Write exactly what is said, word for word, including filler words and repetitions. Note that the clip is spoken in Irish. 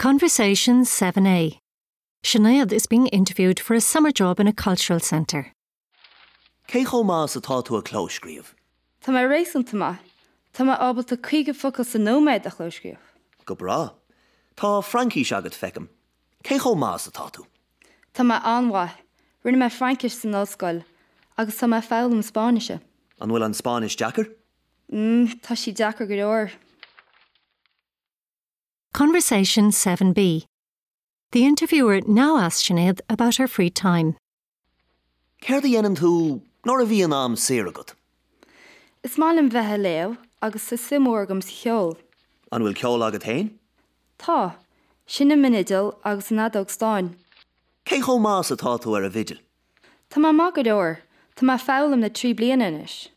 Conversation seven A. Sinead is being interviewed for a summer job in a cultural centre. Cé chomh maith is atá tú ag clóscríobh? Tá mé réasúnta maith. Tá mé ábalta caoga focal sa nóiméad a chlóscríobh. Go breá. Tá Fraincis agat, feicim. Cé chomh maith is atá tú? Tá mé an-mhaith. Rinne mé Fraincis san ollscoil, agus tá mé ag foghlaim Spáinnise. An bhfuil an Spáinnis deacair? Mm, tá sí deacair go leor. Conversation seven B. The interviewer now asks Sinead about her free time. Céard a dhéanann tú nuair a bhíonn am saor agat? Is maith liom bheith ag léamh agus tá suim mhór agam sa cheol. An bhfuil ceol agat féin? Tá, seinnim an fhidil agus an fheadóg stáin. Cé chomh maith is atá tú ar an bhfidil? Tá mé maith go leor, Tá mé ag foghlaim le trí bliana anois.